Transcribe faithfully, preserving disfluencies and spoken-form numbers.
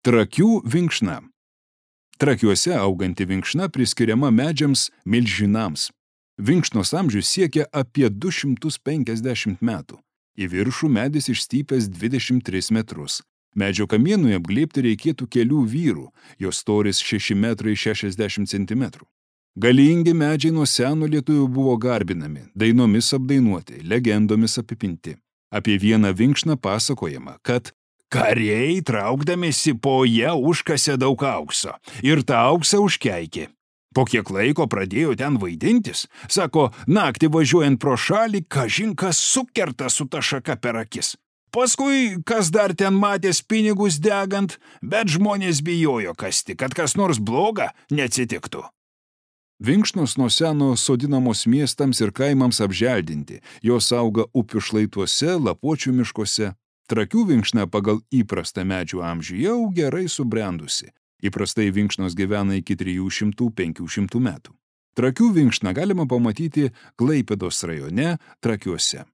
Trakių vinkšna. Trakiuose auganti vinkšna priskiriama medžiams milžinams. Vinkšnos amžius siekia apie du šimtus penkiasdešimt metų. Į viršų medis išstypęs dvidešimt tris metrus. Medžio kamienui apglėbti reikėtų kelių vyrų, jos storis šeši metrai šešiasdešimt centimetrų. Galingi medžiai nuo seno lietuvių buvo garbinami, dainomis apdainuoti, legendomis apipinti. Apie vieną vinkšną pasakojama, kad kariai traukdamėsi po ją užkasė daug aukso ir tą auksą užkeikė. Po kiek laiko pradėjo ten vaidintis, sako, naktį važiuojant pro šalį, kažin kas sukerta su ta šaka per akis. Paskui, kas dar ten matęs pinigus degant, bet žmonės bijojo kasti, kad kas nors bloga neatsitiktų. Vinkšnos nuo seno sodinamos miestams ir kaimams apželdinti, jos auga upių šlaituose, lapuočių miškuose. Trakių vinkšna pagal įprastą medžių amžių jau gerai subrendusi. Įprastai vinkšnos gyvena iki trijų šimtų penkių šimtų metų. Trakių vinkšną galima pamatyti Klaipėdos rajone Trakiuose.